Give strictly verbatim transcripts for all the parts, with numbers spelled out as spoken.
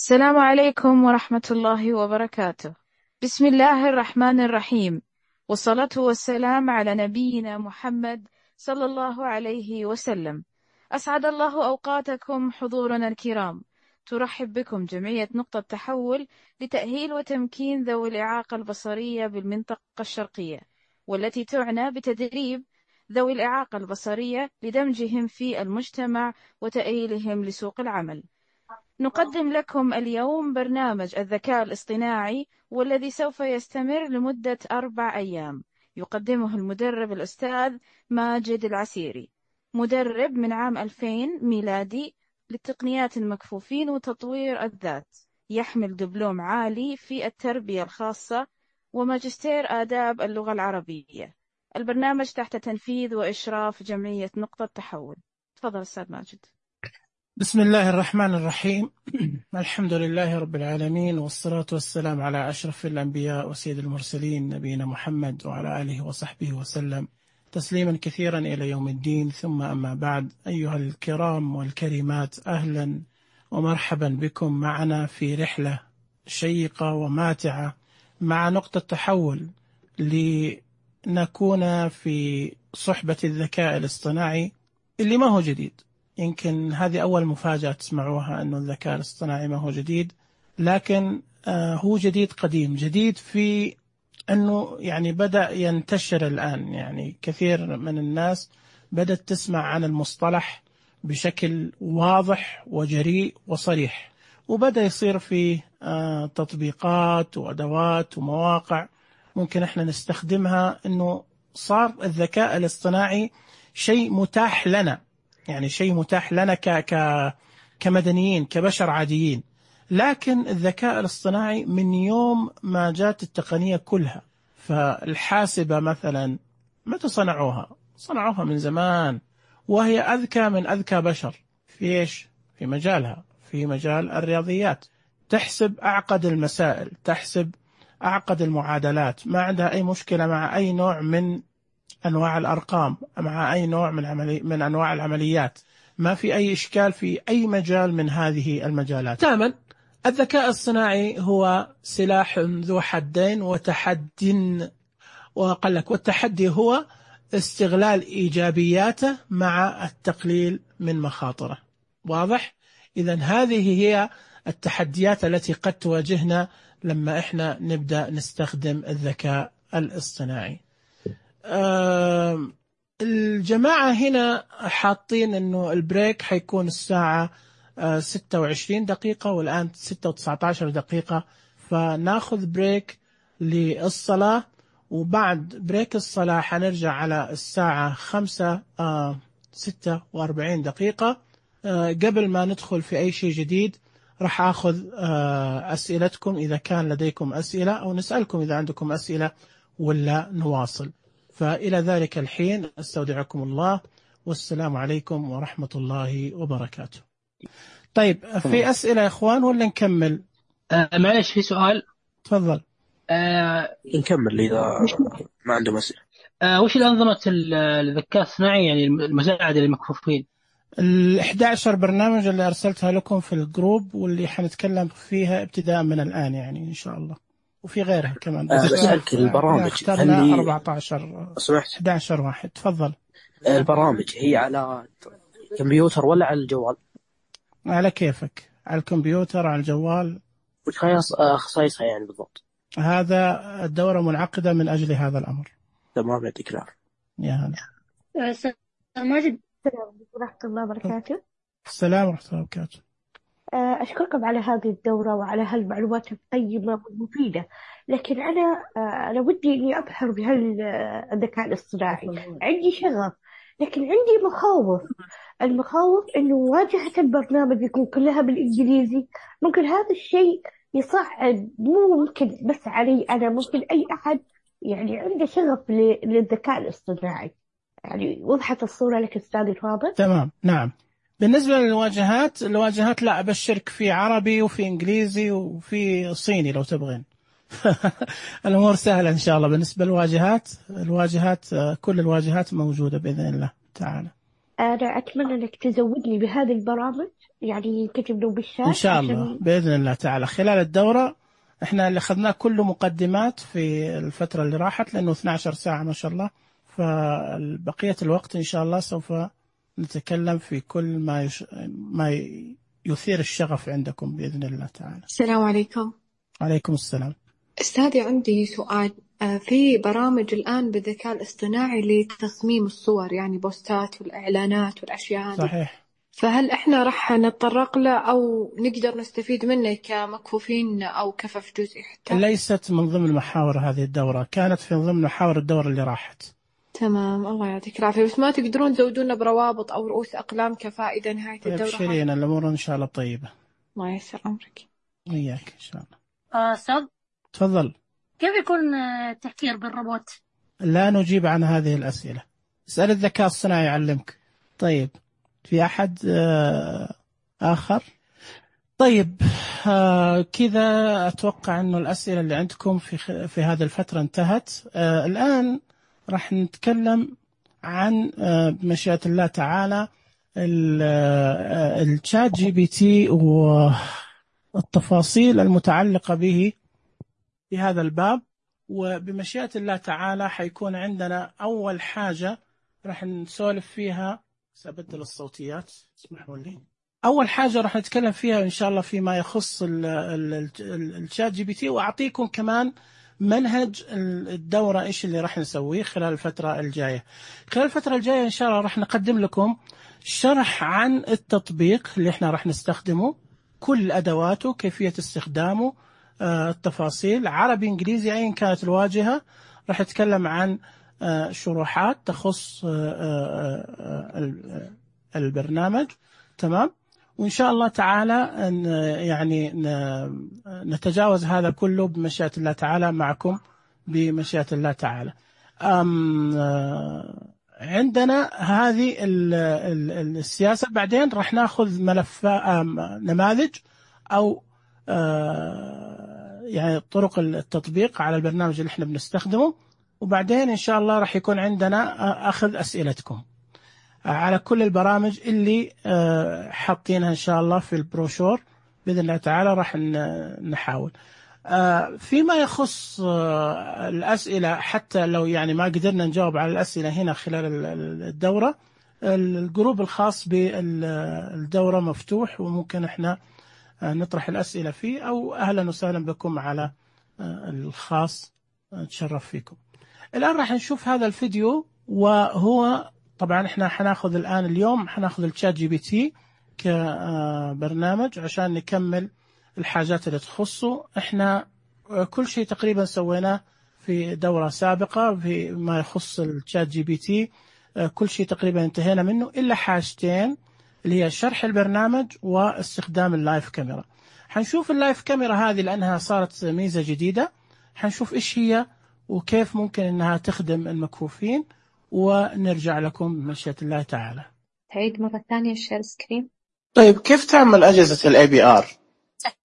السلام عليكم ورحمة الله وبركاته. بسم الله الرحمن الرحيم، والصلاة والسلام على نبينا محمد صلى الله عليه وسلم. أسعد الله أوقاتكم حضورنا الكرام. ترحب بكم جمعية نقطة تحول لتأهيل وتمكين ذوي الإعاقة البصرية بالمنطقة الشرقية، والتي تعنى بتدريب ذوي الإعاقة البصرية لدمجهم في المجتمع وتأهيلهم لسوق العمل. نقدم لكم اليوم برنامج الذكاء الاصطناعي، والذي سوف يستمر لمدة أربع أيام. يقدمه المدرب الأستاذ ماجد العسيري، مدرب من عام ألفين ميلادي للتقنيات المكفوفين وتطوير الذات، يحمل دبلوم عالي في التربية الخاصة وماجستير آداب اللغة العربية. البرنامج تحت تنفيذ وإشراف جمعية نقطة تحول. تفضل أستاذ ماجد. بسم الله الرحمن الرحيم. الحمد لله رب العالمين، والصلاة والسلام على أشرف الأنبياء وسيد المرسلين نبينا محمد وعلى آله وصحبه وسلم تسليما كثيرا إلى يوم الدين. ثم أما بعد، أيها الكرام والكريمات، أهلا ومرحبا بكم معنا في رحلة شيقة وماتعة مع نقطة تحول، لنكون في صحبة الذكاء الاصطناعي اللي ما هو جديد. يمكن هذه أول مفاجأة تسمعوها، أنه الذكاء الاصطناعي ما هو جديد، لكن آه هو جديد قديم. جديد في أنه يعني بدأ ينتشر الآن، يعني كثير من الناس بدأت تسمع عن المصطلح بشكل واضح وجريء وصريح، وبدأ يصير فيه آه تطبيقات وأدوات ومواقع ممكن احنا نستخدمها. أنه صار الذكاء الاصطناعي شيء متاح لنا، يعني شيء متاح لنا ك ك كمدنيين كبشر عاديين. لكن الذكاء الاصطناعي من يوم ما جات التقنية كلها، فالحاسبة مثلا متى صنعوها؟ صنعوها من زمان، وهي أذكى من أذكى بشر في إيش؟ في مجالها، في مجال الرياضيات. تحسب أعقد المسائل، تحسب أعقد المعادلات، ما عندها أي مشكلة مع أي نوع من أنواع الأرقام، مع أي نوع من, عملي من أنواع العمليات. ما في أي إشكال في أي مجال من هذه المجالات. تماما. الذكاء الصناعي هو سلاح ذو حدين وتحد، وقال لك والتحدي هو استغلال إيجابياته مع التقليل من مخاطره. واضح؟ إذن هذه هي التحديات التي قد تواجهنا لما إحنا نبدأ نستخدم الذكاء الاصطناعي. آه الجماعة هنا حاطين أنه البريك حيكون الساعة آه ستة وعشرين دقيقة، والآن ستة وتسعة عشر دقيقة، فناخذ بريك للصلاة، وبعد بريك الصلاة حنرجع على الساعة خمسة آه ستة وأربعين دقيقة. آه قبل ما ندخل في أي شيء جديد راح أخذ آه أسئلتكم إذا كان لديكم أسئلة، أو نسألكم إذا عندكم أسئلة، ولا نواصل. فإلى ذلك الحين أستودعكم الله، والسلام عليكم ورحمة الله وبركاته. طيب، في أسئلة يا إخوان ولا نكمل؟ آه معلش، في سؤال. تفضل. آه نكمل إذا ما عنده أسئلة. آه وش الأنظمة الذكاء الصناعي، يعني المساعدة للمكفوفين؟ الإحدى عشر برنامج اللي أرسلتها لكم في الجروب، واللي حنتكلم فيها ابتداء من الآن يعني إن شاء الله، وفي غيرها كمان. بس أسألك البرامج اخترنا أربعة عشر إحدى عشر واحد. تفضل. البرامج هي على كمبيوتر ولا على الجوال؟ على كيفك، على الكمبيوتر، على الجوال. وش خصائصها يعني بالضبط؟ هذا الدورة منعقدة من أجل هذا الأمر. تمام، يعطيك العافية. يا هلا. أستاذ ماجد، السلام ورحمة الله وبركاته. السلام ورحمة الله وبركاته. أشكركم على هذه الدورة وعلى هالمعلومات القيمة والمفيدة. لكن أنا أنا ودي إني أبحر بهالذكاء الاصطناعي. عندي شغف، لكن عندي مخاوف. المخاوف إنه واجهة البرنامج يكون كلها بالإنجليزي. ممكن هذا الشيء يصعب، مو ممكن بس علي أنا، ممكن أي أحد يعني عنده شغف للذكاء الاصطناعي. يعني وضحت الصورة لك أستاذ الفاضل؟ تمام، نعم. بالنسبة للواجهات، الواجهات لا أبشرك في عربي وفي إنجليزي وفي صيني لو تبغين. الأمور سهلة إن شاء الله. بالنسبة للواجهات، الواجهات كل الواجهات موجودة بإذن الله تعالى. أنا أتمنى إنك تزودني بهذه البرامج، يعني تجيب له بالشات إن شاء الله عشان بإذن الله تعالى خلال الدورة. إحنا اللي أخذناه كله مقدمات في الفترة اللي راحت، لأنه اثنتي عشرة ساعة ما شاء الله، فبقية الوقت إن شاء الله سوف نتكلم في كل ما يش... ما يثير الشغف عندكم بإذن الله تعالى. السلام عليكم. عليكم السلام. أستاذي عندي سؤال. آه، في برامج الآن بالذكاء الاصطناعي لتصميم الصور، يعني بوستات والإعلانات والأشياء هذه. صحيح. فهل إحنا رح نتطرق له أو نقدر نستفيد منه كمكفوفين أو كفف جزئي حتى؟ ليست من ضمن محاور هذه الدورة، كانت في ضمن محاور الدورة اللي راحت. تمام، الله يعطيك العافية. بس ما تقدرون تزودونا بروابط أو رؤوس أقلام كفائدة نهاية الدورة؟ ابشرين، الأمور إن شاء الله طيبة. الله يسر أمرك. وياك إن شاء الله. آه أستاذ، تفضل. كيف يكون التفكير بالروبوت؟ لا نجيب عن هذه الأسئلة، اسأل الذكاء الصناعي يعلمك. طيب، في أحد آه آخر؟ طيب، آه كذا أتوقع أنه الأسئلة اللي عندكم في في هذه الفترة انتهت. آه الآن راح نتكلم عن آه بمشيئة الله تعالى الشات جي بي تي والتفاصيل المتعلقة به في هذا الباب. وبمشيئة الله تعالى حيكون عندنا أول حاجة راح نسولف فيها، سأبدل الصوتيات اسمحوا لي. أول حاجة راح نتكلم فيها إن شاء الله فيما يخص الشات جي بي تي، وأعطيكم كمان منهج الدورة إيش اللي راح نسويه خلال الفترة الجاية. خلال الفترة الجاية إن شاء الله راح نقدم لكم شرح عن التطبيق اللي إحنا راح نستخدمه، كل أدواته، كيفية استخدامه، التفاصيل، عربي إنجليزي أيا كانت الواجهة. راح أتكلم عن شروحات تخص البرنامج. تمام. وإن شاء الله تعالى يعني نتجاوز هذا كله بمشيئة الله تعالى معكم بمشيئة الله تعالى. عندنا هذه السياسة. بعدين راح ناخذ ملفات نماذج أو يعني طرق التطبيق على البرنامج اللي احنا بنستخدمه، وبعدين إن شاء الله راح يكون عندنا أخذ أسئلتكم على كل البرامج اللي حاطينها إن شاء الله في البروشور بإذن الله تعالى. راح نحاول فيما يخص الأسئلة، حتى لو يعني ما قدرنا نجاوب على الأسئلة هنا خلال الدورة، الجروب الخاص بالدورة مفتوح وممكن احنا نطرح الأسئلة فيه، أو أهلا وسهلا بكم على الخاص، نتشرف فيكم. الآن راح نشوف هذا الفيديو، وهو طبعا احنا حناخذ الآن اليوم حناخذ الشات جي بي تي كبرنامج عشان نكمل الحاجات اللي تخصه. احنا كل شيء تقريبا سويناه في دورة سابقة فيما يخص الشات جي بي تي، كل شيء تقريبا انتهينا منه إلا حاجتين، اللي هي شرح البرنامج واستخدام اللايف كاميرا. حنشوف اللايف كاميرا هذه لأنها صارت ميزة جديدة، حنشوف إيش هي وكيف ممكن أنها تخدم المكفوفين، ونرجع لكم بمشيئة الله تعالى. تعيد مرة ثانية الشير سكرين. طيب، كيف تعمل أجهزة ال إيه بي آر؟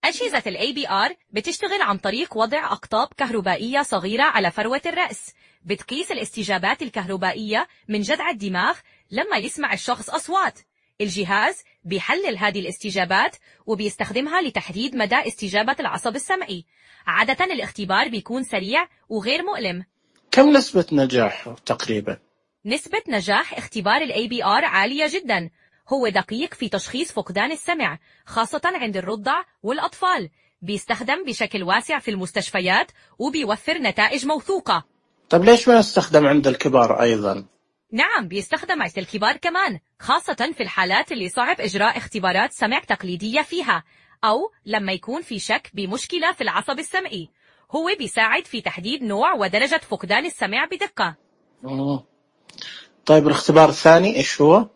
أجهزة ال إيه بي آر بتشتغل عن طريق وضع أقطاب كهربائية صغيرة على فروة الرأس، بتقيس الاستجابات الكهربائية من جذع الدماغ لما يسمع الشخص أصوات. الجهاز بيحلل هذه الاستجابات وبيستخدمها لتحديد مدى استجابة العصب السمعي. عادة الاختبار بيكون سريع وغير مؤلم. كم نسبة نجاح تقريبا؟ نسبة نجاح اختبار ال إيه بي آر عالية جدا. هو دقيق في تشخيص فقدان السمع، خاصة عند الرضع والأطفال. بيستخدم بشكل واسع في المستشفيات وبيوفر نتائج موثوقة. طب ليش ما يستخدم عند الكبار أيضا؟ نعم، بيستخدم عند الكبار كمان، خاصة في الحالات اللي صعب إجراء اختبارات سمع تقليدية فيها، أو لما يكون في شك بمشكلة في العصب السمعي. هو بيساعد في تحديد نوع ودرجة فقدان السمع بدقة. مم. طيب، الاختبار الثاني إيش هو؟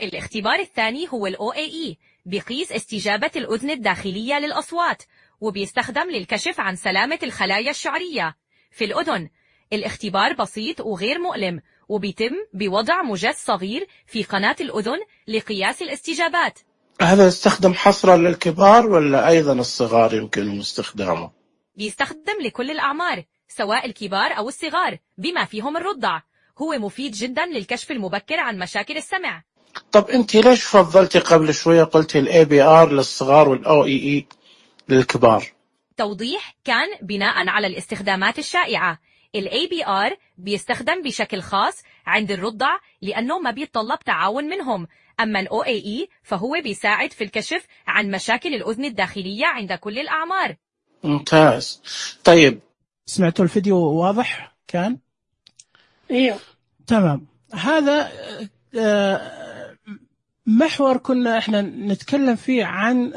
الاختبار الثاني هو ال أو إيه إي، بيقيس استجابة الأذن الداخلية للأصوات، وبيستخدم للكشف عن سلامة الخلايا الشعرية في الأذن. الاختبار بسيط وغير مؤلم، وبيتم بوضع مجس صغير في قناة الأذن لقياس الاستجابات. هذا يستخدم حصرا للكبار ولا أيضا الصغار يمكن استخدامه؟ بيستخدم لكل الأعمار، سواء الكبار أو الصغار بما فيهم الرضع. هو مفيد جدا للكشف المبكر عن مشاكل السمع. طب أنت ليش فضلتي قبل شوية قلتي ال إيه بي آر للصغار وال أو إي إي للكبار؟ توضيح كان بناء على الاستخدامات الشائعة. ال إيه بي آر بيستخدم بشكل خاص عند الرضع لأنه ما بيتطلب تعاون منهم، أما ال أو إي إي فهو بيساعد في الكشف عن مشاكل الأذن الداخلية عند كل الأعمار. ممتاز. طيب سمعتوا الفيديو واضح كان؟ ايوه تمام. هذا محور كنا احنا نتكلم فيه عن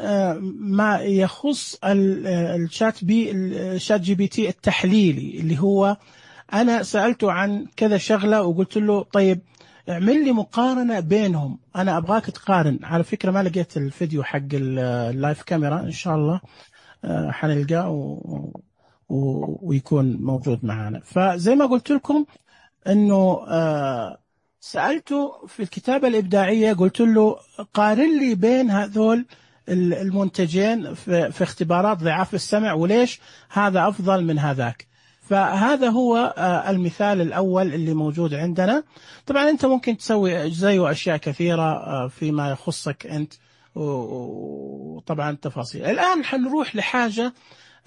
ما يخص الشات بي الشات جي بي تي التحليلي، اللي هو انا سألته عن كذا شغلة وقلت له طيب اعمل لي مقارنة بينهم، انا ابغاك تقارن. على فكرة ما لقيت الفيديو حق اللايف كاميرا، ان شاء الله حنلقاه و... و... ويكون موجود معنا. فزي ما قلت لكم انه آه سألته في الكتابة الإبداعية، قلت له قارن لي بين هذول المنتجين في, في اختبارات ضعاف السمع، وليش هذا أفضل من هذاك. فهذا هو آه المثال الأول اللي موجود عندنا. طبعا أنت ممكن تسوي زيه أشياء كثيرة آه فيما يخصك أنت، وطبعا تفاصيل. الآن حنروح لحاجة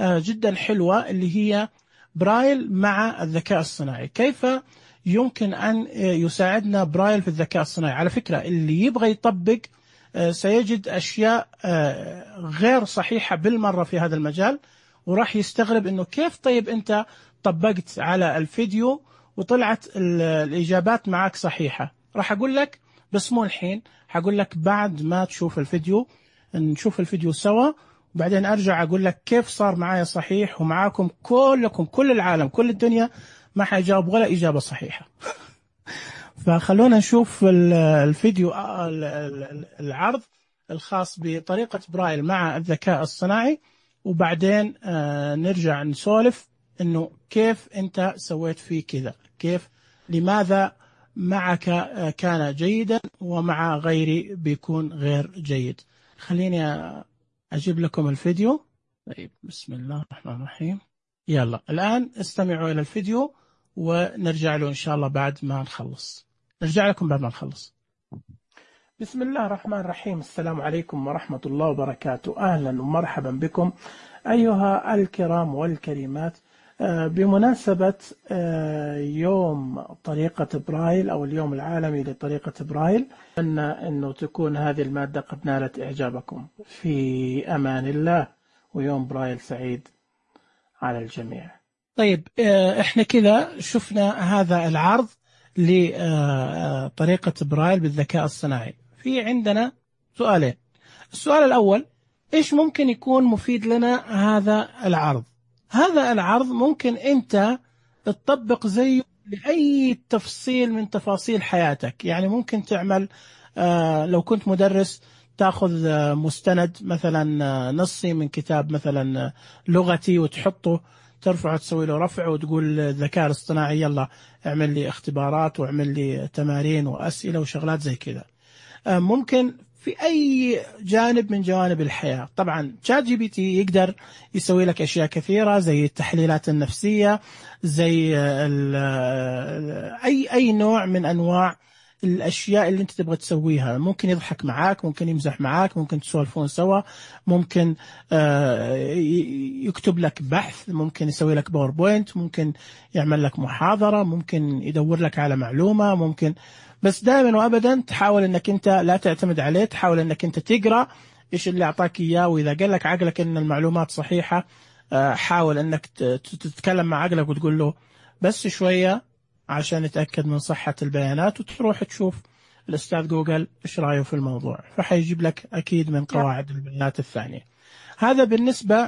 آه جدا حلوة اللي هي برايل مع الذكاء الصناعي. كيف يمكن أن يساعدنا برايل في الذكاء الصناعي؟ على فكرة اللي يبغى يطبق سيجد أشياء غير صحيحة بالمرة في هذا المجال، وراح يستغرب إنه كيف طيب أنت طبقت على الفيديو وطلعت الإجابات معك صحيحة. راح أقول لك بس مو الحين، هقول لك بعد ما تشوف الفيديو، نشوف الفيديو سوا وبعدين أرجع أقول لك كيف صار معايا صحيح ومعاكم كلكم كل العالم كل الدنيا ما حيجاوب ولا إجابة صحيحة. فخلونا نشوف الفيديو العرض الخاص بطريقة برايل مع الذكاء الصناعي، وبعدين نرجع نسولف إنه كيف أنت سويت فيه كذا، كيف لماذا معك كان جيدا ومع غيري بيكون غير جيد. خليني أجيب لكم الفيديو. طيب بسم الله الرحمن الرحيم. يلا الآن استمعوا إلى الفيديو ونرجع له إن شاء الله بعد ما نخلص. نرجع لكم بعد ما نخلص. بسم الله الرحمن الرحيم. السلام عليكم ورحمة الله وبركاته. أهلا ومرحبا بكم أيها الكرام والكريمات. بمناسبة يوم طريقة برايل أو اليوم العالمي لطريقة برايل، أن أنه تكون هذه المادة قد نالت إعجابكم. في أمان الله، ويوم برايل سعيد على الجميع. طيب احنا كذا شفنا هذا العرض لطريقة برايل بالذكاء الصناعي. في عندنا سؤالين. السؤال الأول، ايش ممكن يكون مفيد لنا هذا العرض؟ هذا العرض ممكن انت تطبق زيه لأي تفصيل من تفاصيل حياتك. يعني ممكن تعمل لو كنت مدرس تأخذ مستند مثلا نصي من كتاب مثلا لغتي وتحطه، ترفعه تسوي له رفع وتقول الذكاء الاصطناعي يلا اعمل لي اختبارات واعمل لي تمارين وأسئلة وشغلات زي كذا. ممكن في أي جانب من جوانب الحياة. طبعا شات جي بي تي يقدر يسوي لك أشياء كثيرة زي التحليلات النفسية، زي أي أي نوع من أنواع الأشياء اللي أنت تبغى تسويها. ممكن يضحك معاك، ممكن يمزح معاك، ممكن تسولفون سوا، ممكن يكتب لك بحث، ممكن يسوي لك باوربوينت، ممكن يعمل لك محاضرة، ممكن يدور لك على معلومة، ممكن. بس دائما وأبدا تحاول أنك أنت لا تعتمد عليه، تحاول أنك أنت تقرأ إيش اللي أعطاك إياه، وإذا قال لك عقلك أن المعلومات صحيحة حاول أنك تتكلم مع عقلك وتقول له بس شوية عشان نتأكد من صحة البيانات، وتروح تشوف الأستاذ جوجل إيش رأيه في الموضوع، فحيجيب لك أكيد من قواعد البيانات الثانية. هذا بالنسبة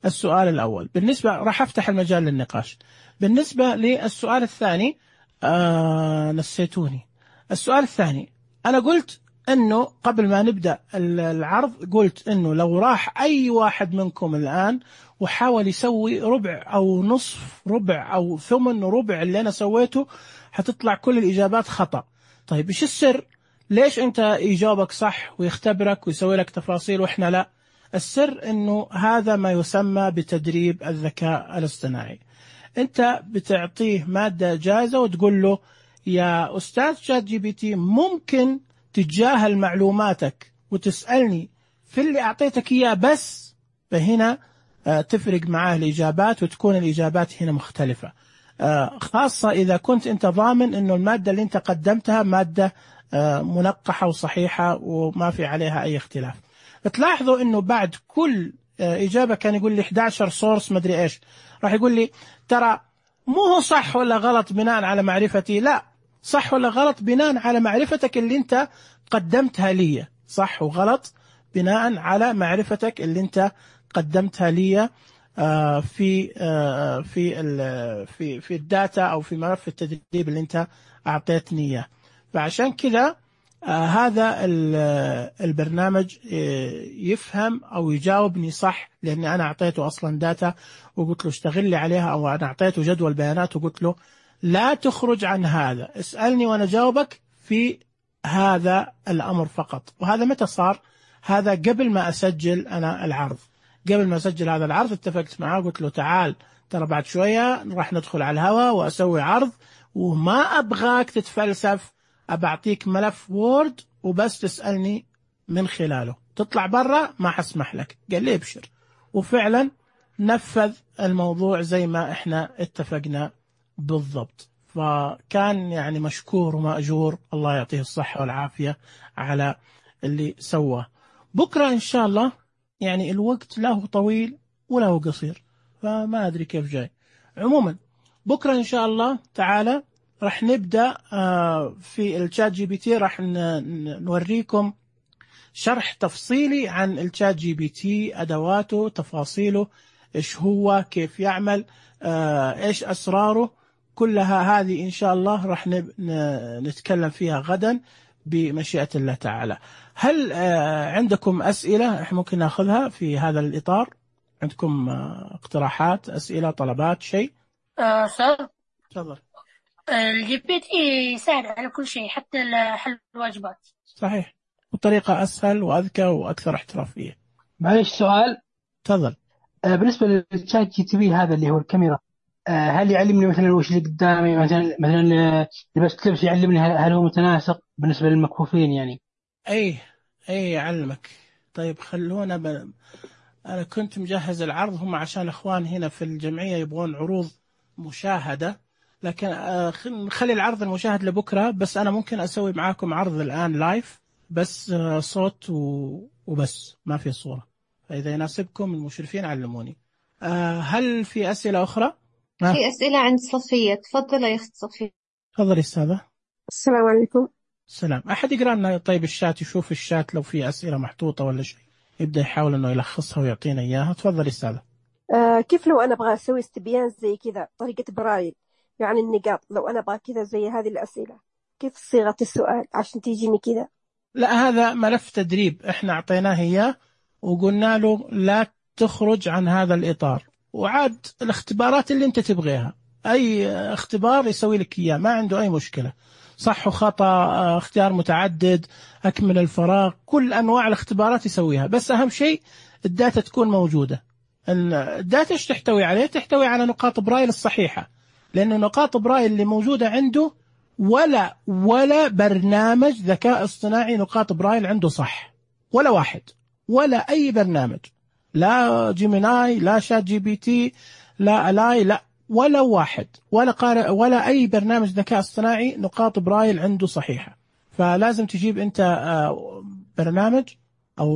للسؤال الأول. بالنسبة راح أفتح المجال للنقاش. بالنسبة للسؤال الثاني آه نسيتوني. السؤال الثاني أنا قلت أنه قبل ما نبدأ العرض قلت أنه لو راح أي واحد منكم الآن وحاول يسوي ربع أو نصف ربع أو ثمن ربع اللي أنا سويته هتطلع كل الإجابات خطأ. طيب إيش السر؟ ليش أنت يجاوبك صح ويختبرك ويسوي لك تفاصيل وإحنا لا؟ السر أنه هذا ما يسمى بتدريب الذكاء الاصطناعي. أنت بتعطيه مادة جاهزة وتقول له يا أستاذ شات جي بي تي ممكن تتجاهل معلوماتك وتسألني في اللي أعطيتك إياه بس، فهنا تفرق معاه الإجابات وتكون الإجابات هنا مختلفة، خاصة إذا كنت أنت ضامن أنه المادة اللي أنت قدمتها مادة منقحة وصحيحة وما في عليها أي اختلاف. فتلاحظوا أنه بعد كل إجابة كان يقول لي إحدى عشر سورس مدري إيش، راح يقول لي ترى مو هو صح ولا غلط بناء على معرفتي، لا، صح ولا غلط بناء على معرفتك اللي أنت قدمتها لي، صح وغلط بناء على معرفتك اللي أنت قدمتها لي في في في في الداتا أو في ملف التدريب اللي أنت أعطيتني إياه. فعشان كذا هذا البرنامج يفهم أو يجاوبني صح، لأني أنا أعطيته أصلا داتا وقلت له اشتغل لي عليها، أو أنا أعطيته جدول بيانات وقلت له لا تخرج عن هذا، اسألني وأنا جاوبك في هذا الأمر فقط. وهذا متى صار؟ هذا قبل ما أسجل أنا العرض، قبل ما أسجل هذا العرض اتفقت معاه، قلت له تعال ترى بعد شوية راح ندخل على الهواء وأسوي عرض وما أبغاك تتفلسف، أبعطيك ملف وورد وبس تسألني من خلاله، تطلع برا ما حسمح لك. قال لي ابشر، وفعلا نفذ الموضوع زي ما احنا اتفقنا بالضبط. فكان يعني مشكور ومأجور، الله يعطيه الصحة والعافية على اللي سواه. بكرة إن شاء الله يعني الوقت لا هو طويل ولا هو قصير، فما أدري كيف جاي. عموما بكرة إن شاء الله تعالى راح نبدأ في الشات جي بي تي، راح نوريكم شرح تفصيلي عن الشات جي بي تي، أدواته، تفاصيله، إيش هو، كيف يعمل، إيش أسراره، كلها هذه إن شاء الله راح نتكلم فيها غدا بمشيئة الله تعالى. هل عندكم أسئلة إحنا ممكن نأخذها في هذا الإطار؟ عندكم اقتراحات، أسئلة، طلبات، شيء؟ أستاذ تفضل. الجي بي تي يساعد على كل شيء حتى حل الواجبات. صحيح، وطريقة أسهل وأذكى وأكثر احترافية. معلش سؤال. تفضل. آه بالنسبة للشات جي تي بي هذا اللي هو الكاميرا، آه هل يعلمني مثلا وش اللي قدامي، مثلا مثلا لبست لبس يعلمني هل هو متناسق بالنسبة للمكفوفين يعني؟ أي أي يعلمك. طيب خلونا ب... أنا كنت مجهز العرض، هم عشان أخوان هنا في الجمعية يبغون عروض مشاهدة، لكن نخلي العرض المشاهد لبكرة، بس أنا ممكن أسوي معاكم عرض الآن لايف بس صوت وبس ما في صورة، فإذا يناسبكم المشرفين علموني. هل في أسئلة أخرى؟ في أسئلة عند صفية، تفضل يا أخت صفية. تفضل أستاذة. السلام عليكم. السلام. أحد يقرأ لنا طيب الشات، يشوف الشات لو في أسئلة محطوطة ولا شيء يبدأ يحاول إنه يلخصها ويعطينا إياها. تفضل أستاذة. آه كيف لو أنا أبغى أسوي استبيان زي كذا طريقة برايل، يعني النقاط، لو أنا أبغى كذا زي هذه الأسئلة، كيف صيغة السؤال عشان تيجيني كذا؟ لا، هذا ملف تدريب احنا أعطيناه إياه وقلنا له لا تخرج عن هذا الإطار، وعاد الاختبارات اللي انت تبغيها، أي اختبار يسوي لك إياه ما عنده أي مشكلة، صح وخطأ، اختيار متعدد، أكمل الفراغ، كل أنواع الاختبارات يسويها، بس أهم شيء الداتا تكون موجودة. الداتا ايش تحتوي عليه؟ تحتوي على نقاط برايل الصحيحة، لأنه نقاط برايل اللي موجودة عنده ولا ولا برنامج ذكاء اصطناعي نقاط برايل عنده صح، ولا واحد، ولا أي برنامج، لا جيميناي، لا شات جي بي تي، لا ألاي، لا ولا واحد، ولا قارئ، ولا أي برنامج ذكاء اصطناعي نقاط برايل عنده صحيحة. فلازم تجيب أنت برنامج أو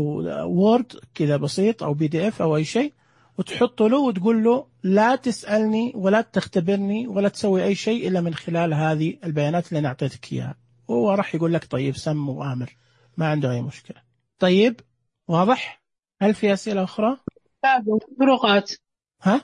وورد كذا بسيط أو بي دي إف أو أي شيء وتحطه له وتقول له لا تسألني ولا تختبرني ولا تسوي أي شيء إلا من خلال هذه البيانات اللي أنا أعطيتك إياها، وهو راح يقول لك طيب سم وآمر، ما عنده أي مشكلة. طيب واضح؟ هل في أسئلة أخرى؟ فروقات. ها؟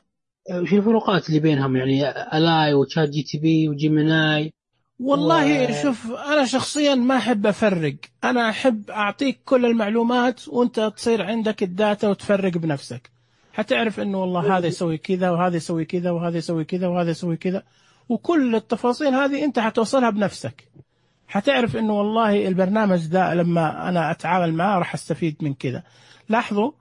وش الفروقات اللي بينهم يعني ألاي وشات جي تي بي وجيميناي؟ والله و... شوف أنا شخصيا ما أحب أفرق، أنا أحب أعطيك كل المعلومات وأنت تصير عندك الداتا وتفرق بنفسك، حتعرف إنه والله هذا يسوي كذا وهذا يسوي كذا وهذا يسوي كذا وهذا يسوي كذا، وكل التفاصيل هذه أنت حتوصلها بنفسك، حتعرف إنه والله البرنامج ذا لما أنا أتعامل معه راح أستفيد من كذا. لاحظوا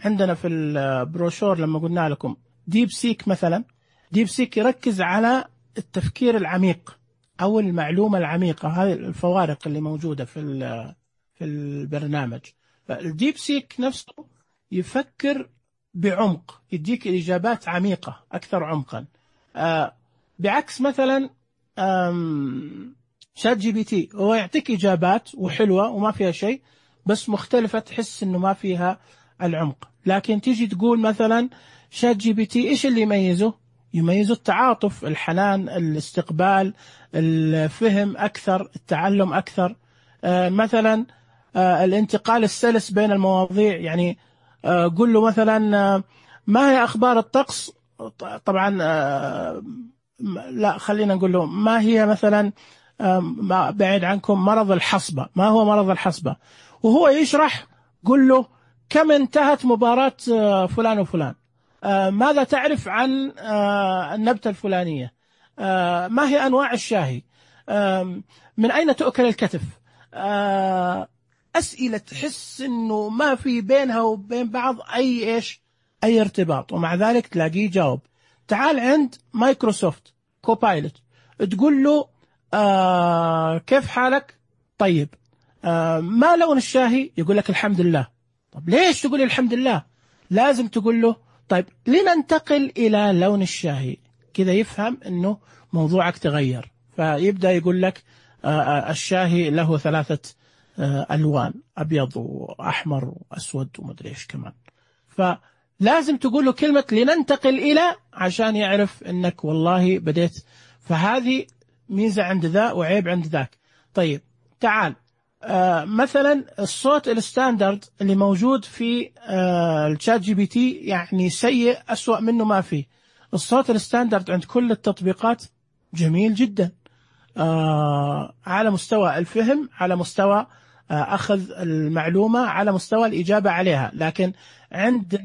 عندنا في البروشور لما قلنا لكم ديب سيك مثلا، ديب سيك يركز على التفكير العميق أو المعلومة العميقة، هذه الفوارق اللي موجودة في في البرنامج. فالديب سيك نفسه يفكر بعمق، يديك الإجابات عميقة أكثر عمقا، آه بعكس مثلا شات جي بي تي، هو يعطيك إجابات وحلوة وما فيها شيء بس مختلفة، تحس إنه ما فيها العمق. لكن تيجي تقول مثلا شات جي بي تي إيش اللي يميزه؟ يميزه التعاطف، الحنان، الاستقبال، الفهم أكثر، التعلم أكثر، آه مثلا آه الانتقال السلس بين المواضيع. يعني آه قل له مثلا آه ما هي أخبار الطقس، طبعا آه لا خلينا نقول له ما هي مثلا آه بعيد عنكم مرض الحصبة، ما هو مرض الحصبة، وهو يشرح قل له كم انتهت مباراة آه فلان وفلان، آه ماذا تعرف عن آه النبتة الفلانية، آه ما هي أنواع الشاهي، آه من أين تؤكل الكتف، آه أسئلة تحس إنه ما في بينها وبين بعض أي إيش أي ارتباط، ومع ذلك تلاقيه جاوب. تعال عند مايكروسوفت كوبايلوت، تقول له آه كيف حالك؟ طيب آه ما لون الشاهي؟ يقول لك الحمد لله. طب ليش تقول الحمد لله؟ لازم تقول له طيب لننتقل إلى لون الشاهي، كذا يفهم إنه موضوعك تغير، فيبدأ يقول لك آه الشاهي له ثلاثة آه ألوان، أبيض وأحمر وأسود ومدري إيش كمان. فلازم تقول له كلمة لننتقل إلى عشان يعرف إنك والله بديت. فهذه ميزة عند ذا وعيب عند ذاك. طيب تعال آه مثلا الصوت الستاندرد اللي موجود في آه الشات جي بي تي يعني سيء، أسوأ منه ما فيه. الصوت الستاندرد عند كل التطبيقات جميل جدا، آه على مستوى الفهم، على مستوى آه أخذ المعلومة، على مستوى الإجابة عليها. لكن عند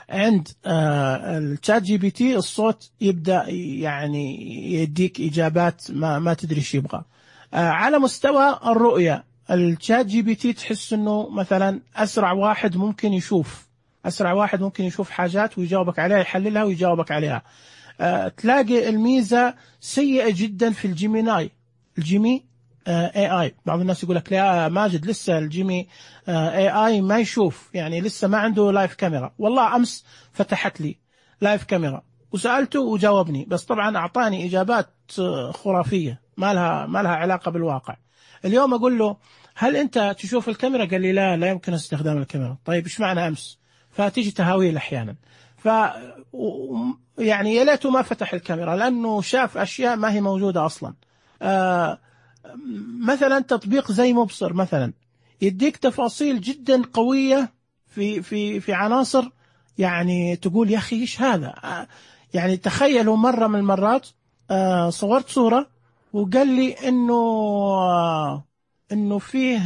عند آه الشات جي بي تي الصوت يبدأ يعني يديك إجابات ما ما تدري ايش يبغى. آه على مستوى الرؤية الشات جي بي تي تحس انه مثلا اسرع واحد ممكن يشوف، اسرع واحد ممكن يشوف حاجات ويجاوبك عليها، يحللها ويجاوبك عليها. آه تلاقي الميزة سيئة جدا في الجيميناي، الجيمي اي اي. بعض الناس يقول لك لا ماجد لسه الجيمي اي اي ما يشوف، يعني لسه ما عنده لايف كاميرا. والله امس فتحت لي لايف كاميرا وسألته وجاوبني، بس طبعا اعطاني اجابات خرافية ما لها ما لها علاقة بالواقع. اليوم اقول له هل انت تشوف الكاميرا؟ قال لي لا لا يمكن استخدام الكاميرا. طيب ايش معنى امس؟ فتيجي تهاويل احيانا. ف يعني يا ليته ما فتح الكاميرا لانه شاف اشياء ما هي موجودة اصلا. آه مثلا تطبيق زي مبصر مثلا يديك تفاصيل جدا قوية في في في عناصر، يعني تقول يا أخي إيش هذا. يعني تخيلوا مرة من المرات صورت صورة وقال لي إنه إنه فيه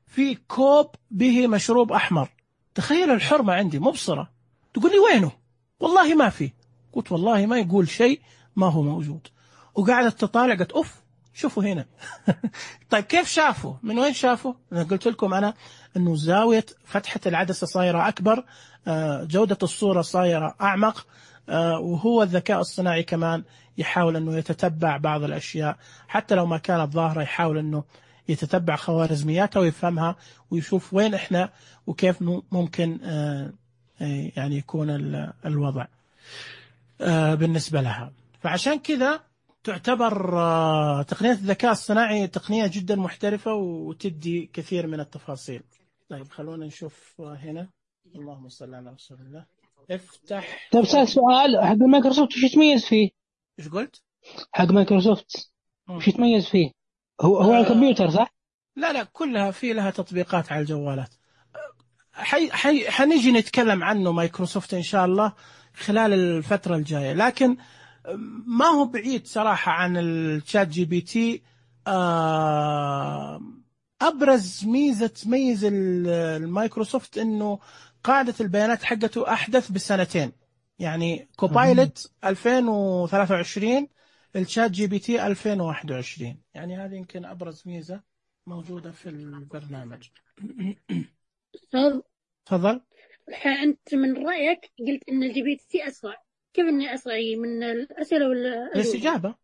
في كوب به مشروب أحمر. تخيل الحرمة عندي مبصرة تقول لي وينه؟ والله ما في. قلت والله ما يقول شيء ما هو موجود. وقعدت تطالع قلت أوف شوفوا هنا. طيب كيف شافوا؟ من وين شافوا؟ أنا قلت لكم أنا أنه زاوية فتحة العدسة صايرة أكبر، جودة الصورة صايرة أعمق، وهو الذكاء الصناعي كمان يحاول أنه يتتبع بعض الأشياء حتى لو ما كانت ظاهرة، يحاول أنه يتتبع خوارزمياتها ويفهمها ويشوف وين إحنا وكيف ممكن يعني يكون الوضع بالنسبة لها. فعشان كذا تعتبر تقنية الذكاء الصناعي تقنية جدا محترفة وتدي كثير من التفاصيل. طيب خلونا نشوف هنا. اللهم صل على رسول الله. افتح. طيب سؤال حق مايكروسوفت وش يتميز فيه؟ ايش قلت؟ حق مايكروسوفت وش يتميز فيه؟ هو هو آه على الكمبيوتر صح؟ لا لا كلها في لها تطبيقات على الجوالات. حي حي حنيجي نتكلم عنه مايكروسوفت إن شاء الله خلال الفترة الجاية، لكن ما هو بعيد صراحة عن الشات جي بي تي. أبرز ميزة تميز المايكروسوفت إنه قاعدة البيانات حقته أحدث بسنتين، يعني كوبايلوت ألفين وثلاثة وعشرين، الشات جي بي تي ألفين وواحد وعشرين. يعني هذه يمكن أبرز ميزة موجودة في البرنامج. تفضل. أنت من رأيك قلت إن الجي بي تي أسرع، كيف إنه أسرع من الأسئلة ولا الاستجابة؟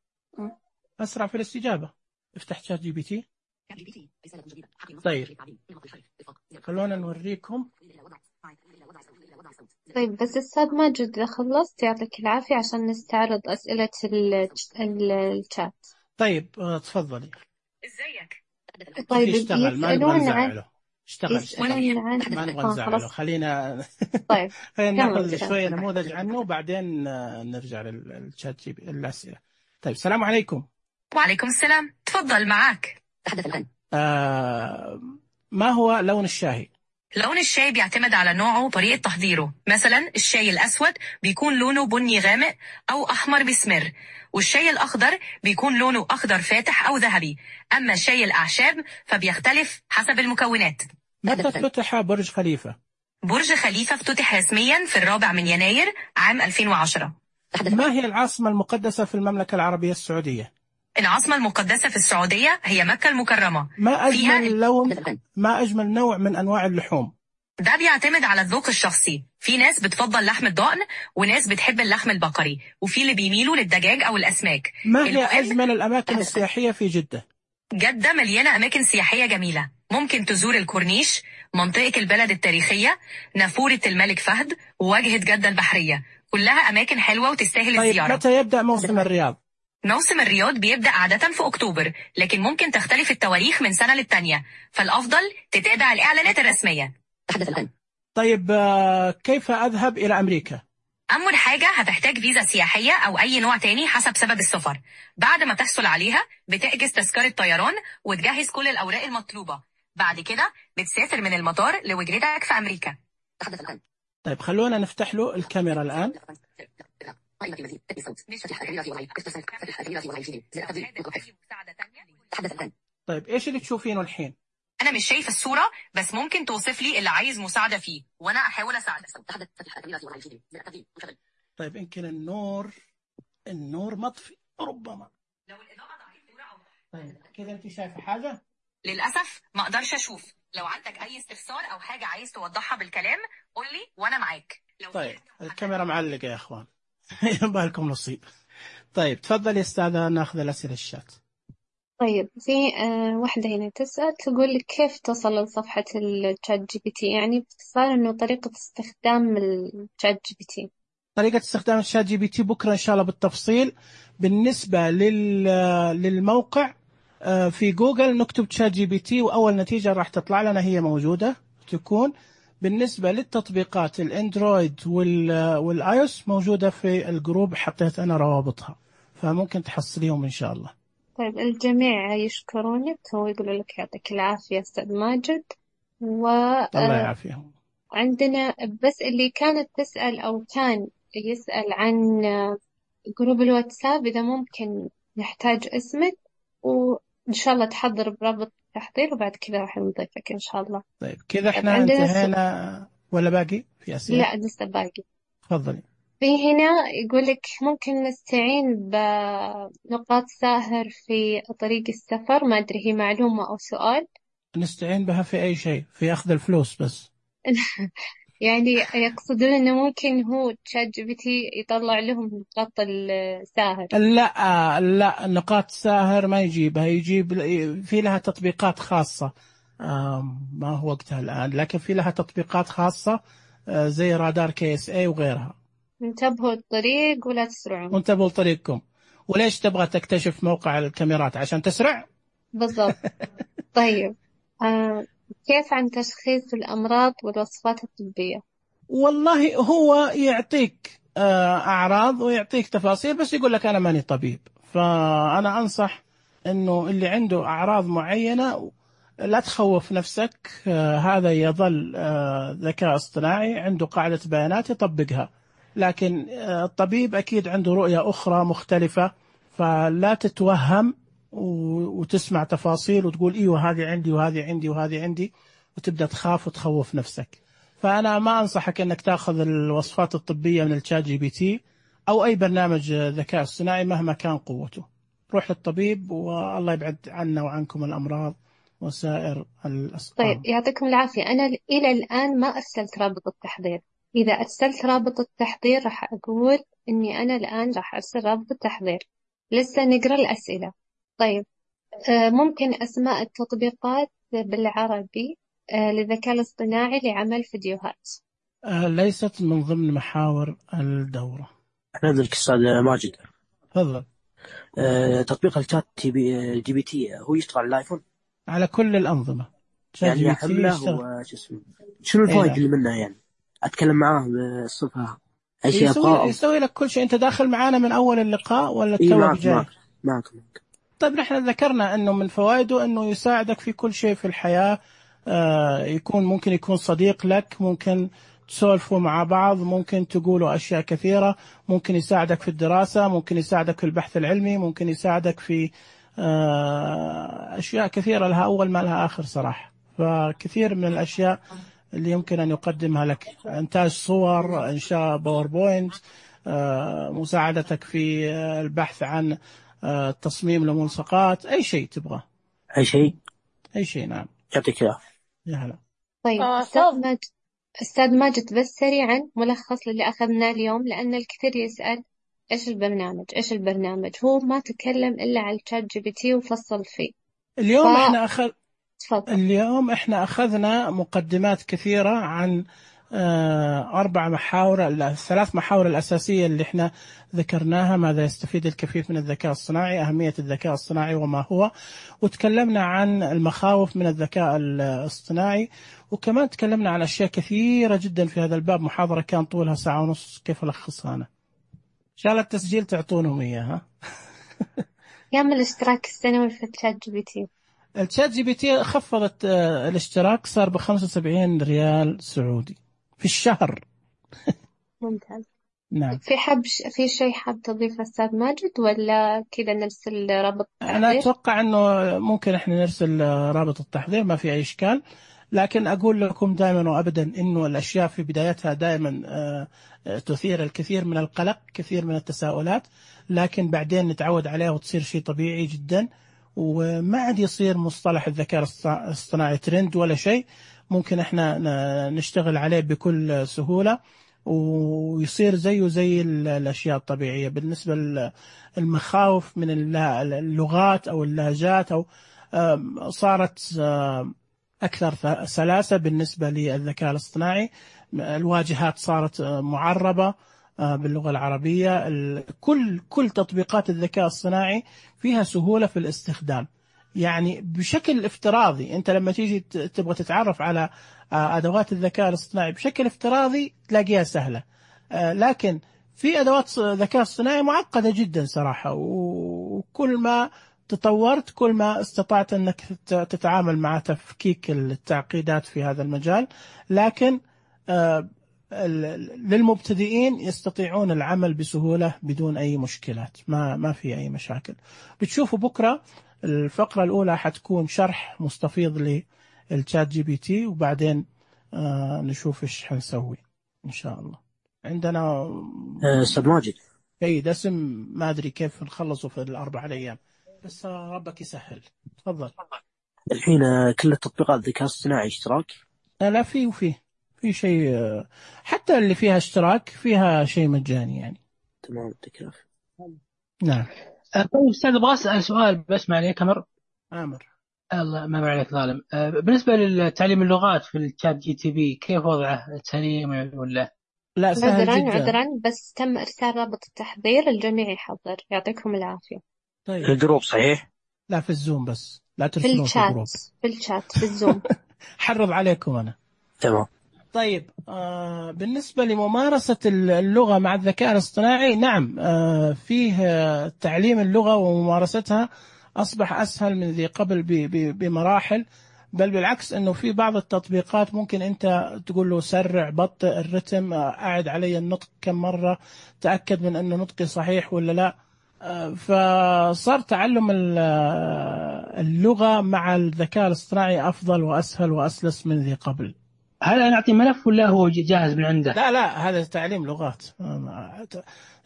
أسرع في الاستجابة. افتح شات جي بي تي طيب خلونا نوريكم. طيب بس أستاذ ماجد إذا خلصت يعطيك العافية عشان نستعرض أسئلة ال- ال- الشات. طيب آه، تفضلي. ازيك؟ طيب يشتغل، ما نبغى يسألون عن نزعله. اشتغل اشتغل يسألون عن ما نبغى آه نزعله. خلاص. خلينا طيب خلينا كمل ناخذ كمل. شوية نموذج عنه وبعدين آه، نرجع للشات جي بي الأسئلة. طيب السلام عليكم. وعليكم السلام، تفضل معاك. آه ما هو لون الشاي؟ لون الشاي بيعتمد على نوعه وطريقة تحضيره. مثلا الشاي الأسود بيكون لونه بني غامق أو أحمر بسمر، والشاي الأخضر بيكون لونه أخضر فاتح أو ذهبي. أما شاي الأعشاب فبيختلف حسب المكونات. متى افتتح برج خليفة؟ برج خليفة افتتح رسميا في الرابع من يناير عام ألفين وعشرة. ما هي العاصمة المقدسة في المملكة العربية السعودية؟ العاصمة المقدسة في السعودية هي مكة المكرمة. ما فيها أجمل لون ما أجمل نوع من أنواع اللحوم؟ ده بيعتمد على الذوق الشخصي. في ناس بتفضل لحم الضأن وناس بتحب اللحم البقري، وفي اللي بيميلوا للدجاج أو الأسماك. ما هي المهم أجمل الأماكن السياحية في جدة؟ جدة مليانة أماكن سياحية جميلة. ممكن تزور الكورنيش، منطقة البلد التاريخية، نافورة الملك فهد، وواجهة جدة البحرية. كلها أماكن حلوة وتستاهل طيب الزيارة. متى يبدأ موسم الرياض؟ موسم الرياض بيبدأ عادة في أكتوبر، لكن ممكن تختلف التواريخ من سنة للتانية، فالأفضل تتابع الإعلانات الرسمية. طيب آه، كيف أذهب إلى أمريكا؟ أول حاجة هتحتاج فيزا سياحية أو أي نوع تاني حسب سبب السفر. بعد ما تحصل عليها بتحجز تذكرة طيران وتجهز كل الأوراق المطلوبة. بعد كده بتسافر من المطار لوجهتك في أمريكا. طيب خلونا نفتح له الكاميرا الآن. طيب إيش اللي تشوفينه الحين؟ أنا مش شايف الصورة، بس ممكن توصف لي اللي عايز مساعدة فيه وأنا أحاول أساعدك. طيب يمكن النور النور مطفي ربما. لو الإضاءة ضعيفة أو طيب كذا أنت شايفة حاجة؟ للأسف ما أقدرش أشوف. لو عندك أي استفسار أو حاجة عايز توضحها بالكلام قول لي وأنا معاك. لو طيب الكاميرا معلقة يا أخوان. يبقى لكم نصيب. طيب تفضل يا أستاذة ناخذ الأسئلة الشات. طيب في آه واحدة هنا تسأل تقول لك كيف تصل لصفحة الشات جي بي تي، يعني باختصار إنه طريقة استخدام الشات جي بي تي. طريقة استخدام الشات جي بي تي بكرة إن شاء الله بالتفصيل. بالنسبة لل للموقع في جوجل نكتب شات جي بي تي وأول نتيجة راح تطلع لنا هي موجودة تكون. بالنسبة للتطبيقات الأندرويد والآيوس موجودة في الجروب، حطيت أنا روابطها فممكن تحصليهم إن شاء الله. طيب الجميع يشكرونك ويقولوا لك يعطيك العافية أستاذ ماجد. و الله يعافيهم. عندنا بس اللي كانت تسأل أو كان يسأل عن جروب الواتساب، إذا ممكن نحتاج اسمك وإن شاء الله تحضر برابط التحضير وبعد كذا راح نضيفك إن شاء الله. طيب كذا إحنا انتهينا س... ولا باقي في أسئلة؟ لا لسه باقي. تفضلي. في هنا يقول لك ممكن نستعين بنقاط ساهر في طريق السفر، ما أدري هي معلومة أو سؤال. نستعين بها في أي شيء، في أخذ الفلوس بس. يعني يقصدون إنه ممكن هو تشات جي بي تي يطلع لهم نقاط الساهر. لا لا نقاط ساهر ما يجيبها، يجيب في لها تطبيقات خاصة ما هو وقتها الآن، لكن في لها تطبيقات خاصة زي رادار كي اس اي وغيرها. انتبهوا الطريق ولا تسرعوا. وانتبهوا لطريقكم. وليش تبغى تكتشف موقع الكاميرات عشان تسرع؟ بالضبط. طيب آه كيف عن تشخيص الأمراض والوصفات الطبية؟ والله هو يعطيك أعراض ويعطيك تفاصيل بس يقول لك أنا ماني طبيب. فأنا أنصح إنه اللي عنده أعراض معينة لا تخوف نفسك، هذا يظل ذكاء اصطناعي عنده قاعدة بيانات يطبقها، لكن الطبيب أكيد عنده رؤية أخرى مختلفة، فلا تتوهم وتسمع تفاصيل وتقول إيوه هذه عندي وهذه عندي وهذه عندي وتبدأ تخاف وتخوف نفسك. فأنا ما أنصحك أنك تأخذ الوصفات الطبية من الشات جي بي تي أو أي برنامج ذكاء اصطناعي مهما كان قوته. روح للطبيب والله يبعد عنا وعنكم الأمراض وسائر الأسقام. طيب يعطيكم العافية. أنا إلى الآن ما أرسلت رابط التحضير. إذا أرسلت رابط التحضير راح أقول إني أنا الآن راح أرسل رابط التحضير. لسه نقرأ الأسئلة. طيب آه، ممكن أسماء التطبيقات بالعربي آه، للذكاء الاصطناعي لعمل فيديوهات. آه، ليست من ضمن محاور الدورة. أنا أدرك أستاذ ماجد. تفضل. أه تطبيق الشات تي بي جي بي تي هو يشتغل على الآيفون؟ على كل الأنظمة. يعني يحمله وش اسمه، شنو الفوائد اللي منه؟ يعني أتكلم معاه بالصفة أي شيء يسوي, يسوي لك كل شيء. أنت داخل معانا من أول اللقاء ولا إيه؟ توك معك جاي؟ معك معك معك. طيب نحن ذكرنا أنه من فوائده أنه يساعدك في كل شيء في الحياة. آه يكون ممكن يكون صديق لك، ممكن تسولفوا مع بعض، ممكن تقولوا أشياء كثيرة، ممكن يساعدك في الدراسة، ممكن يساعدك في البحث العلمي، ممكن يساعدك في آه أشياء كثيرة لها أول ما لها آخر صراحة. فكثير من الأشياء اللي يمكن أن يقدمها لك، إنتاج صور، إنشاء باوربوينت، آه مساعدتك في البحث عن آه تصميم لملصقات، أي شيء تبغى. أي شيء أي شيء. نعم. يعطيك العافية. يا هلا. طيب آه، أستاذ ماجد، أستاذ ماجد بس سريعا ملخص للي أخذناه اليوم، لأن الكثير يسأل إيش البرنامج إيش البرنامج هو ما تكلم إلا على الشات جي بي تي وفصل فيه. اليوم ف... إحنا أخذ تفضل. اليوم إحنا أخذنا مقدمات كثيرة عن آه أربع محاور، الثلاث محاور الأساسية اللي إحنا ذكرناها: ماذا يستفيد الكفيف من الذكاء الصناعي، أهمية الذكاء الصناعي وما هو، وتكلمنا عن المخاوف من الذكاء الاصطناعي، وكمان تكلمنا عن أشياء كثيرة جدا في هذا الباب. محاضرة كان طولها ساعة ونص، كيف ألخصها أنا؟ إن شاء الله التسجيل تعطونهم إياها. كم الاشتراك السنوي في الشات جي بي تي؟ الشات جي بي تي خفضت الاشتراك، صار بخمسة وسبعين ريال سعودي في الشهر. ممتاز. نعم. في حب في شيء حاب تضيفه أستاذ ماجد ولا كذا نرسل رابط التحضير؟ أنا أتوقع أنه ممكن إحنا نرسل رابط التحضير، ما في أي إشكال. لكن أقول لكم دائما وأبدا إنه الأشياء في بدايتها دائما تثير الكثير من القلق، كثير من التساؤلات، لكن بعدين نتعود عليها وتصير شيء طبيعي جدا، وما عاد يصير مصطلح الذكاء الاصطناعي ترند ولا شيء. ممكن إحنا نشتغل عليه بكل سهولة ويصير زيه زي الأشياء الطبيعية. بالنسبة للمخاوف من اللغات أو اللهجات، أو صارت أكثر سلاسة بالنسبة للذكاء الاصطناعي. الواجهات صارت معربة باللغة العربية. كل كل تطبيقات الذكاء الصناعي فيها سهولة في الاستخدام، يعني بشكل افتراضي. أنت لما تيجي تبغى تتعرف على أدوات الذكاء الاصطناعي بشكل افتراضي تلاقيها سهلة، لكن في أدوات ذكاء اصطناعي معقدة جدا صراحة، وكل ما تطورت كل ما استطعت أنك تتعامل مع تفكيك التعقيدات في هذا المجال. لكن للمبتدئين يستطيعون العمل بسهولة بدون أي مشكلات، ما ما في أي مشاكل. بتشوفوا بكرة الفقرة الأولى حتكون شرح مستفيض للشات جي بي تي، وبعدين آه نشوف إيش حنسوي إن شاء الله. عندنا أستاذ ماجد أي دسم ما أدري كيف نخلصه في الأربع أيام، بس ربك يسهل. تفضل. الحين كل التطبيقات الذكاء الصناعي اشتراك؟ لا، في وفي في شيء، حتى اللي فيها اشتراك فيها شيء مجاني يعني. تمام. تكرف. نعم. طيب أستاذ أبغى أسأل سؤال بس معلي كمر. آمر. الله ما عليك ظالم. بالنسبة للتعليم اللغات في الشات جي تي بي كيف وضعه؟ سليم ولا؟ لا سهل عذرا جدا. عذرا بس تم إرسال رابط التحضير، الجميع يحضر. يعطيكم العافية. طيب. في الجروب صحيح؟ لا في الزوم بس، لا في ترسلون في الجروب. الشات في الشات في الزوم. حرض عليكم أنا. تمام. طيب آه بالنسبة لممارسة اللغة مع الذكاء الاصطناعي، نعم آه فيه آه تعليم اللغة وممارستها أصبح أسهل من ذي قبل بمراحل، بل بالعكس أنه في بعض التطبيقات ممكن أنت تقول له سرع، بطئ الرتم، أعد علي النطق كم مرة، تأكد من أنه نطقي صحيح ولا لا. آه فصار تعلم اللغة مع الذكاء الاصطناعي أفضل وأسهل وأسلس من ذي قبل. هل أنا أعطي ملف ولا هو جاهز من عنده؟ لا لا، هذا تعليم لغات.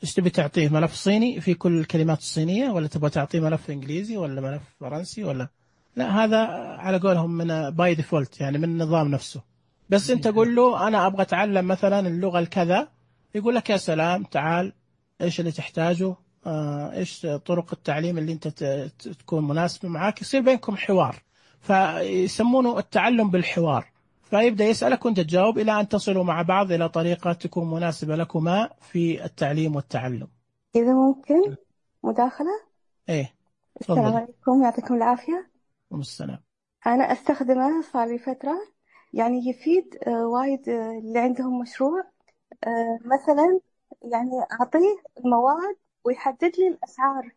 ايش تبي تعطيه؟ ملف صيني في كل الكلمات الصينية، ولا تبغى تعطيه ملف إنجليزي ولا ملف فرنسي ولا؟ لا، هذا على قولهم من باي ديفولت، يعني من النظام نفسه. بس أنت قول له أنا أبغى أتعلم مثلا اللغة الكذا، يقول لك يا سلام تعال، إيش اللي تحتاجه؟ إيش طرق التعليم اللي أنت تكون مناسبة معاك، يصير بينكم حوار، فيسمونه التعلم بالحوار. فيبدأ يسألك وأنت تجاوب إلى أن تصلوا مع بعض إلى طريقة تكون مناسبة لكما في التعليم والتعلم. إذا ممكن مداخلة؟ إيه، السلام تفضل. عليكم، يعطيكم العافية. والسلام. أنا أستخدمه صار لي فترة، يعني يفيد آه، وايد آه، اللي عندهم مشروع. آه، مثلا يعني أعطيه المواد ويحدد لي الأسعار،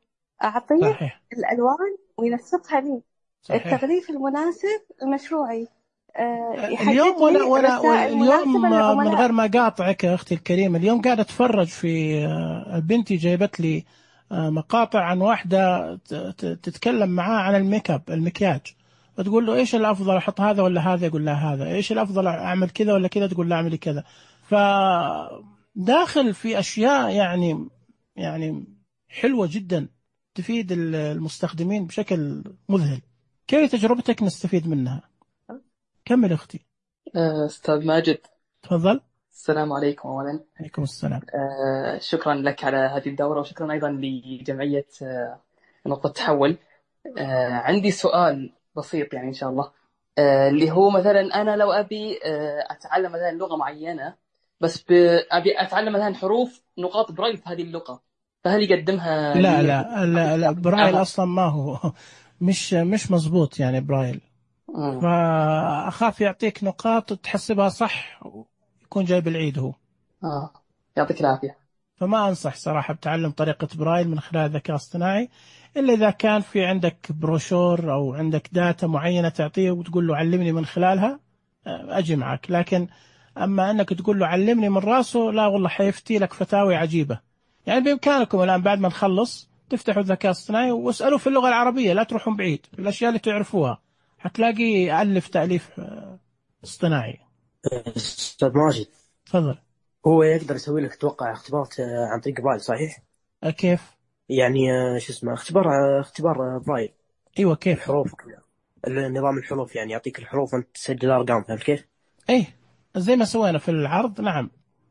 أعطيه صحيح. الألوان وينسقها لي، صحيح. التغليف المناسب لمشروعي، آه، يحدد اليوم ولا لي ولا رسائل اليوم مناسبة من للعملاء. غير ما قاطعك يا أختي الكريمة، اليوم قاعدة أتفرج في آه، بنتي جايبت لي آه، مقاطع عن واحدة ت- ت- تتكلم معاه عن الميك اب، المكياج، وتقول له إيش الأفضل، أحط هذا ولا هذا؟ يقول لها هذا. إيش الأفضل، أعمل كذا ولا كذا؟ تقول له أعملي كذا. فداخل في أشياء يعني يعني حلوة جدا تفيد المستخدمين بشكل مذهل. كيف تجربتك نستفيد منها؟ كمل أختي. أستاذ ماجد، تفضل. السلام عليكم. أولا عليكم السلام. آه، شكرا لك على هذه الدورة، وشكرا أيضا لجمعية آه، نقطة تحول. آه، عندي سؤال بسيط يعني إن شاء الله، آه، اللي هو مثلا أنا لو أبي آه، أتعلم مثلا لغة معينة، بس ب- أبي أتعلم مثلا حروف نقاط برايل في هذه اللغة، فهل يقدمها لا لي؟ لا لا, لا برايل أصلا ما هو مش مش مزبوط يعني برايل. مم. فأخاف يعطيك نقاط تحسبها صح يكون جايب العيد هو. آه. يعطيك العافية. فما أنصح صراحة بتعلم طريقة برايل من خلال الذكاء الاصطناعي، إلا إذا كان في عندك بروشور أو عندك داتا معينة تعطيه وتقول له علمني من خلالها، أجي معك. لكن أما أنك تقول له علمني من راسه، لا والله حيفتي لك فتاوي عجيبة. يعني بإمكانكم الآن بعد ما نخلص تفتحوا الذكاء الاصطناعي واسألوا في اللغة العربية، لا تروحون بعيد، الأشياء اللي تعرفوها حتلاقي ألف تأليف اصطناعي. أستاذ ماجد، تفضل. هو يقدر يسوي لك توقع اختبارات عن طريق برايل صحيح؟ كيف؟ يعني شو اسمه اختبار اختبار برايل. ايوه كيف؟ الحروف وكذا، النظام الحروف، يعني يعطيك الحروف وانت تسجل ارقام، فهمت كيف؟ ايه زي ما سوينا في العرض. نعم.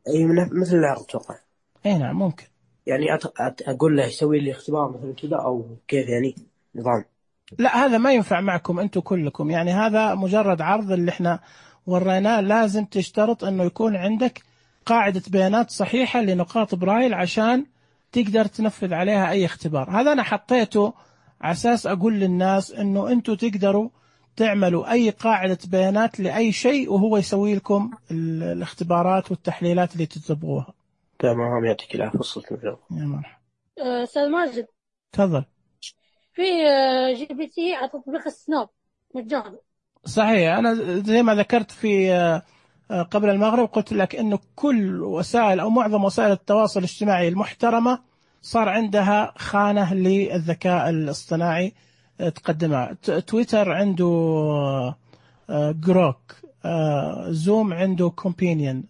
اي مثل العرض اتوقع. اي نعم ممكن. يعني أت... أت... اقول له يسوي لي اختبار مثلا كذا او كيف يعني نظام؟ لا هذا ما ينفع معكم انتم كلكم، يعني هذا مجرد عرض اللي احنا وريناه. لازم تشترط انه يكون عندك قاعدة بيانات صحيحة لنقاط برايل عشان تقدر تنفذ عليها اي اختبار. هذا انا حطيته على اساس اقول للناس انه انتم تقدروا تعملوا اي قاعدة بيانات لاي شيء وهو يسوي لكم الاختبارات والتحليلات اللي تتبغوها. تمام، يعطيك العافية. وصلت الجواب. يا مرحبا. أستاذ ماجد، تفضل. في جي بي تي على تطبيق السناب مجانا. صحيح. أنا زي ما ذكرت في قبل المغرب قلت لك إنه كل وسائل أو معظم وسائل التواصل الاجتماعي المحترمة صار عندها خانة للذكاء الاصطناعي تقدمها. تويتر عنده جروك، زوم عنده كومبينيون،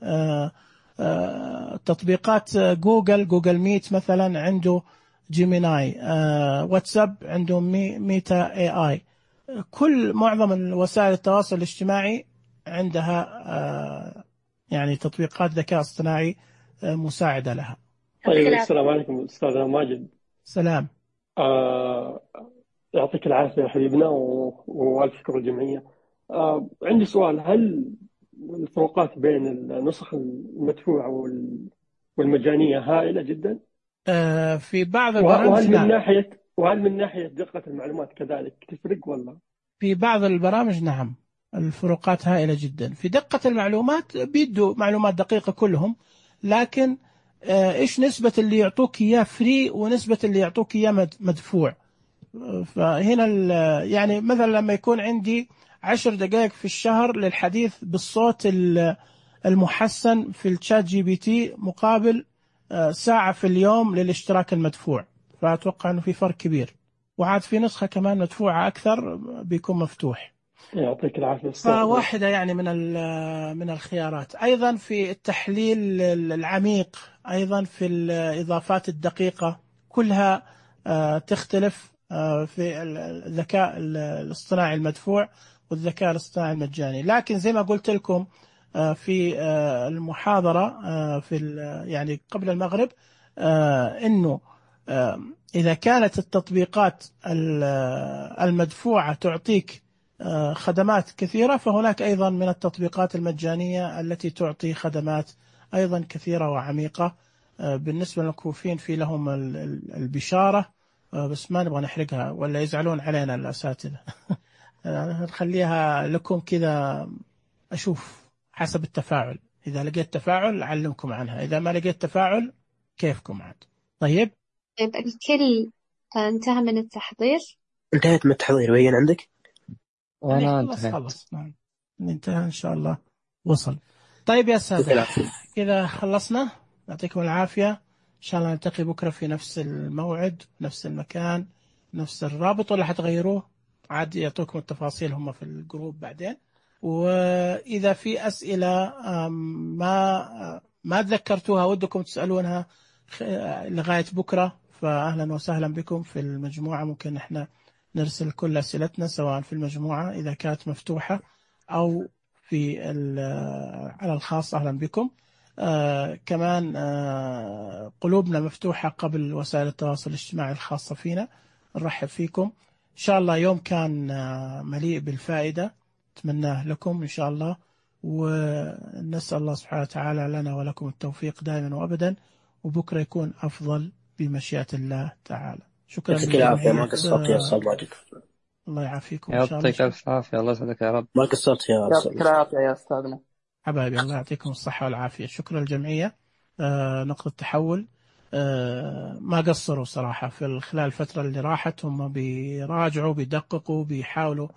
تطبيقات جوجل جوجل ميت مثلا عنده جيميناي، واتساب عنده مي ميتا اي اي. كل معظم وسائل التواصل الاجتماعي عندها يعني تطبيقات ذكاء اصطناعي مساعدة لها. طيب السلام عليكم أستاذ ماجد. سلام. آه يعطيك العافية يا حبيبنا، وألف شكر الجمعية. آه عندي سؤال، هل الفروقات بين النسخ المدفوعة والمجانية هائلة جدا؟ آه في بعض البرامج. وهل من ناحية وهل من ناحية دقة المعلومات كذلك تفرق ولا؟ في بعض البرامج نعم الفروقات هائلة جدا في دقة المعلومات، بيدوا معلومات دقيقة كلهم، لكن آه إيش نسبة اللي يعطوك إياه فري ونسبة اللي يعطوك إياه مدفوع. فهنا يعني مثلا لما يكون عندي عشر دقائق في الشهر للحديث بالصوت المحسن في الشات جي بي تي مقابل ساعة في اليوم للاشتراك المدفوع، فأتوقع أنه في فرق كبير. وعاد في نسخة كمان مدفوعة أكثر بيكون مفتوح. يعطيك العافية. فواحدة يعني من من الخيارات. أيضا في التحليل العميق، أيضا في الإضافات الدقيقة، كلها تختلف في الذكاء الاصطناعي المدفوع والذكاء الاصطناعي المجاني. لكن زي ما قلت لكم في المحاضرة في يعني قبل المغرب، إنه إذا كانت التطبيقات المدفوعة تعطيك خدمات كثيرة، فهناك أيضا من التطبيقات المجانية التي تعطي خدمات أيضا كثيرة وعميقة. بالنسبة للمكفوفين في لهم البشارة، بس ما نبغى نحرقها ولا يزعلون علينا الأساتذة. نخليها لكم كذا، أشوف حسب التفاعل، إذا لقيت تفاعل أعلمكم عنها، إذا ما لقيت تفاعل كيفكم عاد. طيب طيب الكل انتهى من التحضير؟ انتهت من التحضير، بين عندك؟ وانا خلص خلص نعم انتهى إن شاء الله، وصل. طيب يا سادة كذا خلصنا، يعطيكم العافية. إن شاء الله نلتقي بكرة في نفس الموعد، نفس المكان، نفس الرابط، ولا حتغيروه عاد يعطوكم التفاصيل هم في الجروب بعدين. وإذا في أسئلة ما ما تذكرتوها ودكم تسألونها لغاية بكرة، فأهلا وسهلا بكم في المجموعة. ممكن إحنا نرسل كل أسئلتنا سواء في المجموعة إذا كانت مفتوحة أو في على الخاص، أهلا بكم. آه كمان آه قلوبنا مفتوحة قبل وسائل التواصل الاجتماعي الخاصة فينا، نرحب فيكم. إن شاء الله يوم كان آه مليء بالفائدة أتمناه لكم إن شاء الله، ونسأل الله سبحانه وتعالى لنا ولكم التوفيق دائما وأبدا، وبكرة يكون أفضل بمشيئة الله تعالى. شكرا لك. العافية، ما قصرت يا أستاذ ماجد. الله يعافيكم إن شاء الله. يعطيك ألف عافية، الله يسعدك يا رب. ما قصرت يا أستاذ. يعطيك العافية يا أستاذنا حبايبي، الله يعطيكم الصحة والعافية. شكرا الجمعية. آه نقطة تحول آه ما قصروا صراحة في خلال الفترة اللي راحت، هم بيراجعوا بيدققوا بيحاولوا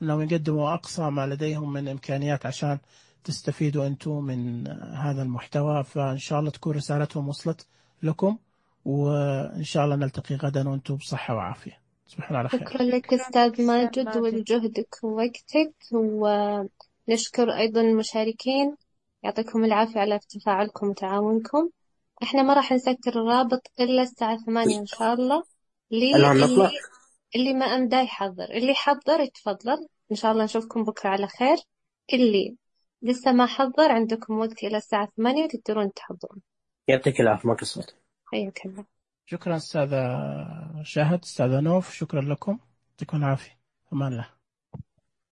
أنهم يقدموا أقصى ما لديهم من إمكانيات عشان تستفيدوا أنتم من هذا المحتوى. فإن شاء الله تكون رسالتهم وصلت لكم، وإن شاء الله نلتقي غدا وأنتم بصحة وعافية. تصبحون على خير. شكرا لك أستاذ ماجد ولجهدك ووقتك، ونشكر أيضا المشاركين، يعطيكم العافية على تفاعلكم وتعاونكم. احنا ما راح نسكر الرابط إلا الساعة ثمانية إن شاء الله. اللي, اللي ما أمدى يحضر، اللي حضر يتفضل، إن شاء الله نشوفكم بكرة على خير. اللي لسه ما حضر عندكم وقت إلى الساعة ثمانية تقدرون تحضرون. يعطيك العافية، ما قصرت. حياك الله. شكرا أستاذ شاهد، أستاذ نوف، شكرا لكم، يعطيكم العافية. أمان الله.